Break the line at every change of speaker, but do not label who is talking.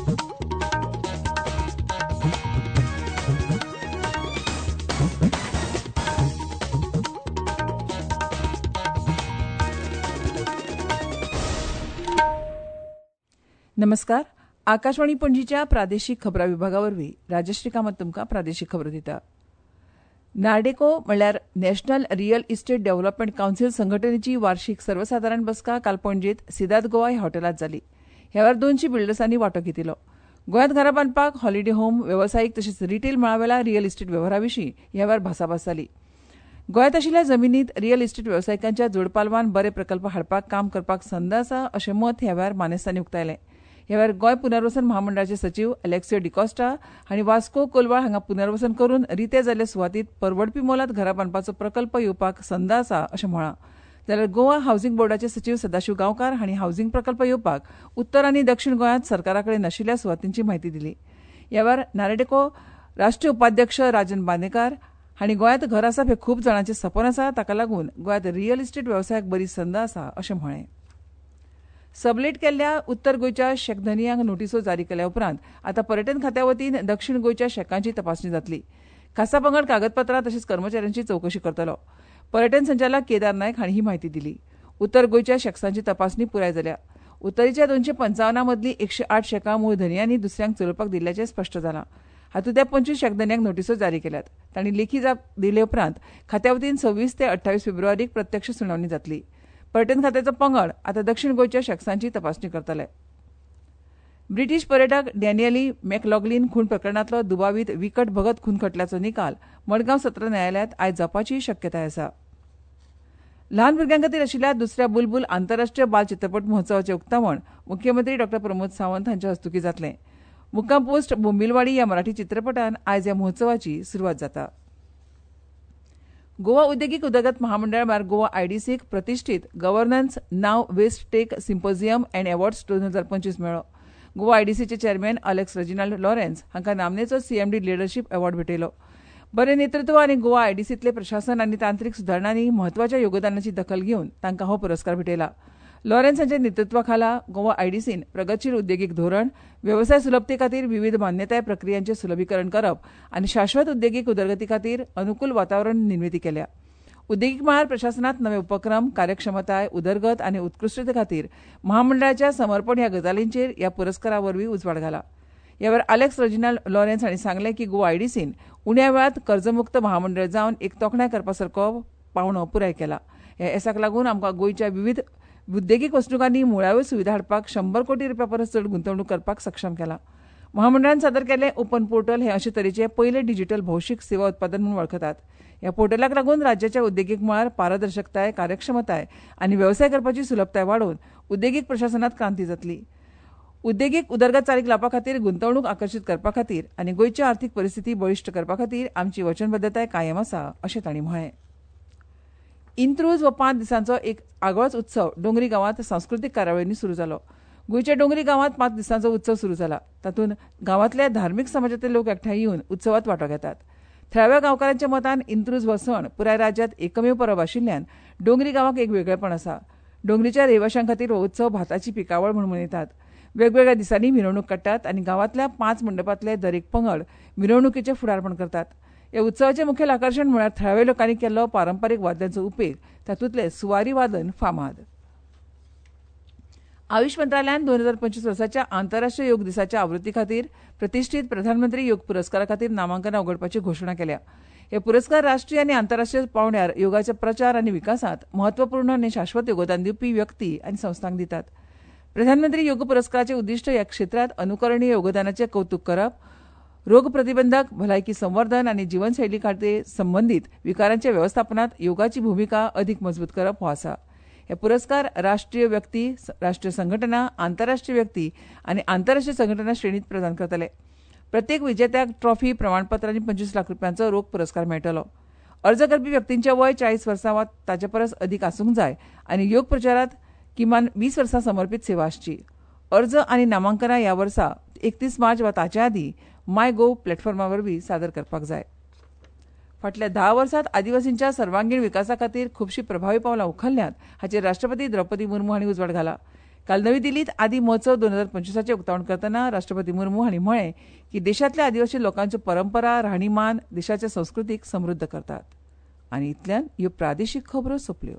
नमस्कार, आकाशवाणी पणजीच्या प्रादेशीक खबरां विभागा वरवीं राजश्री कामत तुमकां प्रादेशीक खबरो दिता. नार्डेको म्हणल्यार national real estate development council संघटनेची वार्षिक सर्वसादारण बसका काल पणजेंत सिदाद गोवा ह्या हॉटेलांत जाली. ह्या वेळार 200 बिल्डर्सांनी वांटो घेतिल्लो. गोंयांत घरां बांदपाक, हॉलिडे होम, वेवसायीक तशेंच रिटेल मळावेल्या रियल इस्टेट वेव्हारा विशीं ह्या वेळार भासाभास जाली. गोंयांत आशिल्ल्या जमिनींत रियल इस्टेट वेवसायिकांच्या जोडपालवान बरे प्रकल्प हाडपाक काम करपाक संद आसा अशें मत ह्या वेळार मानेस्तांनी उक्तायलें. ह्या वेळार गोंय पुनर्वसन महामंडळाचे सचीव अलेक्सियो डिकॉस्टा हांणी वास्को कोलवाळ हांगा पुनर्वसन करून रिते जाल्ले सुवातीत परवडपी मोलांत घरां बांदपाचो प्रकल्प येवपाक संद आसा अशें म्हळां. जाल्यार गोवा हावसिंग बोर्डाचे सचीव सदाशिव गांवकार हांणी हावसिंग प्रकल्प येवपाक उत्तर आनी दक्षिण गोंयांत सरकारा कडेन नाशिल्ल्या सुवातींची म्हायती दिली. ह्या वेळार नारेडेको राष्ट्रीय उपाध्यक्ष राजन बांदेकार हांणी गोंयांत घर आसप हें खूब जाणांचें सपन आसा, ताका लागून गोंयांत रियल इस्टेट वेवसायाक बरी संद आसा अशें म्हळें. सबलेट केल्ल्या उत्तर गोंयच्या शॅक धनयांक नोटिसो जारी केल्या उपरांत आतां पर्यटन खात्या वतीन दक्षिण गोंयच्या शॅकांची तपासणी जातली. खासा पंगड कागदपत्रां तशेंच कर्मचाऱ्यांची चवकशी करतलो. पर्यटन संचालक केदार नायक हांणी ही म्हायती दिली. उत्तर गोंयच्या शॅक्सांची तपासणी पुराय जाल्या. उत्तरेच्या 255 मदलीं 108 शॅकां मूळ धनयांनी दुसऱ्यांक चलोवपाक दिल्ल्याचें स्पश्ट जालां. हातूंतल्या 25 शॅक धनयांक नोटिसो जारी केल्यात. तांणी लेखी जाप दिले उपरांत खात्या वतीन 26 ते 28 फेब्रुवारीक प्रत्यक्ष सुनावणी जातली. पर्यटन खात्याचो पंगड आतां दक्षिण गोंयच्या शॅक्सांची तपासणी करतले. ब्रिटीश पर्यटक डॅनियली मॅकलॉगलीन खून प्रकरणांतलो दुबावीत विकट भगत खून खटल्याचो निकाल मडगांव सत्र न्यायालयांत आयज जावपाची शक्यताय आसा. ल्हान भुरग्यां खातीर आशिल्ल्या दुसऱ्या बुलबुल आंतरराष्ट्रीय बाल चित्रपट महोत्सवाचें उक्तावण मुख्यमंत्री डॉ प्रमोद सावंत हांच्या हस्तुकीं जातलें. मुक्काम पोस्ट बोंबिलवाडी ह्या मराठी चित्रपटान आयज ह्या महोत्सवाची सुरवात जाता. गोवा उद्देगीक उदरगत महामंडळ म्हळ्यार गोवा आयडीसीक प्रतिश्ठीत governance now waste tech symposium and awards 2025 मेळ्ळो. गोवा आयडीसीचे चेअरमॅन अलेक्स रेजिनाल्ड लॉरेन्स हांकां नामनेचो सीएमडी लिडरशीप अवॉर्ड भेटयलो. बरें नेतृत्व आनी गोवा आयडीसींतले प्रशासन आनी तांत्रीक सुदारणांनी म्हत्वाच्या योगदानाची दखल घेवन तांकां हो पुरस्कार भेटयला. लॉरेन्स हांच्या नेतृत्वा खाला गोवा आयडीसीन प्रगतशील उद्देगीक धोरण, वेवसाय सुलभते खातीर विवीध मान्यताय प्रक्रियांचें सुलभीकरण करप आनी शाश्वत उद्देगीक उदरगती खातीर अनुकूल वातावरण निर्मिती केल्या. उद्देगीक मळार प्रशासनांत नवे उपक्रम, कार्यक्षमताय, उदरगत आनी उत्कृश्टते खातीर महामंडळाच्या समर्पण ह्या गजालींचेर ह्या पुरस्कारा वरवीं उजवाड घाला. ह्या वेळार अलेक्स रेजिनाल्ड लॉरेन्स हांणी सांगलें की गोवा आयडीसीन उण्या वेळांत कर्जमुक्त महामंडळ जावन एक तोखणाय करपा सारको पावंडो पुराय केला. ह्या येसाक लागून आमकां गोंयच्या विवीध उद्देगीक वसणुकांनी मुळाव्यो सुविधा हाडपाक 100 कोटी रुपया परस चड गुंतवणूक करपाक सक्षम केला. महामंडळान सादर केल्लें ओपन पोर्टल हें अशे तरेचें पयलें डिजिटल भौशीक सेवा उत्पादन म्हूण वळखतात. ह्या पोर्टलाक लागून राज्याच्या उद्देगीक मळार पारदर्शकताय, कार्यक्षमताय आनी वेवसाय करपाची सुलभताय वाडोवन उद्देगीक प्रशासनांत क्रांती जातली. उद्देगीक उदरगत चालीक लावपा खातीर, गुंतवणूक आकर्शीत करपा खातीर आनी गोंयची आर्थीक परिस्थिती बळिश्ट करपा खातीर आमची वचनबद्दताय कायम आसा अशें तांणी म्हळें. इंत्रूज हो 5 दिसांचो एक आगळोच उत्सव डोंगरी गांवांत सांस्कृतीक कार्यावळींनी सुरू जालो. गोंयच्या डोंगरी गांवांत 5 दिसांचो उत्सव सुरू जाला. तातूंत गांवांतल्या धार्मीक समाजांतले लोक एकठांय येवन उत्सवांत वांटो घेतात. थळाव्या गांवकारांच्या मतान इंत्रूज हो सण पुराय राज्यांत एकमेव परब आशिल्ल्यान डोंगरी गांवाक एक वेगळेपण आसा. डोंगरीच्या रहिवाशां खातीर हो उत्सव भाताची पिकावळ म्हूण मनयतात. वेगवेगळ्या दिसांनी मिरवणूक काडटात आनी गांवांतल्या 5 मंडपांतले दरेक पंगड मिरवणुकीचें फुडारपण करतात. ह्या उत्सवाचें मुखेल आकर्शण म्हळ्यार थळाव्या लोकांनी केल्लो पारंपारीक वाद्यांचो उपेग, तातूंतलें सुवारी वादन फामाद. आयुष मंत्रालयान 2025 वर्साच्या आंतरराष्ट्रीय योग दिसाच्या आवृत्ती खातीर प्रतिश्ठीत प्रधानमंत्री योग पुरस्कारा खातीर नामांकनां उगडपाची घोशणा केल्या. हे पुरस्कार राष्ट्रीय आनी आंतरराष्ट्रीय पांवड्यार योगाच्या प्रचार आनी विकासांत म्हत्वपूर्ण आनी शाश्वत योगदान दिवपी व्यक्ती आनी संस्थांक दितात. प्रधानमंत्री योग पुरस्काराचें उद्दिश्ट ह्या क्षेत्रांत अनुकरणीय योगदानाचें कौतूक करप, रोग प्रतिबंधक, भलायकी संवर्धन आनी जीवनशैली खातीर संबंदीत विकारांच्या वेवस्थापनांत योगाची भुमिका अदीक मजबूत करप हो आसा. हे पुरस्कार राष्ट्रीय व्यक्ती, राष्ट्रीय संघटना, आंतरराष्ट्रीय व्यक्ती आनी आंतरराष्ट्रीय संघटना श्रेणीत प्रदान करतले. प्रत्येक विजेत्याक ट्रॉफी, प्रमाणपत्र आनी 25 लाख रुपयांचो रोख पुरस्कार मेळटलो. अर्ज करपी व्यक्तींचें वय 40 वर्सां वा ताचे परस अदीक आसूंक जाय आनी योग प्रचारांत किमान 20 वर्सां समर्पीत सेवा आसची. अर्ज आनी नामांकनां ह्या वर्सा 31 मार्च वा ताचे आदीं माय गोव प्लॅटफॉर्मा वरवीं सादर करपाक जाय. फाटल्या 10 वर्सांत आदिवासींच्या सर्वांगीण विकासा खातीर खुबशीं प्रभावी पावलां उखल्ल्यांत हाचेर राष्ट्रपती द्रौपदी मुर्मू हांणी उजवाड घाला. काल नवी दिल्लीत आदी महोत्सव 2025 उक्तावण करतना राष्ट्रपती मुर्मू हांणी म्हळें की देशांतल्या आदिवासी लोकांच्यो परंपरा, राहणीमान देशाच्या संस्कृतीक समृद्ध करतात. आनी इतल्यान ह्यो प्रादेशीक खबरो सोंपल्यो.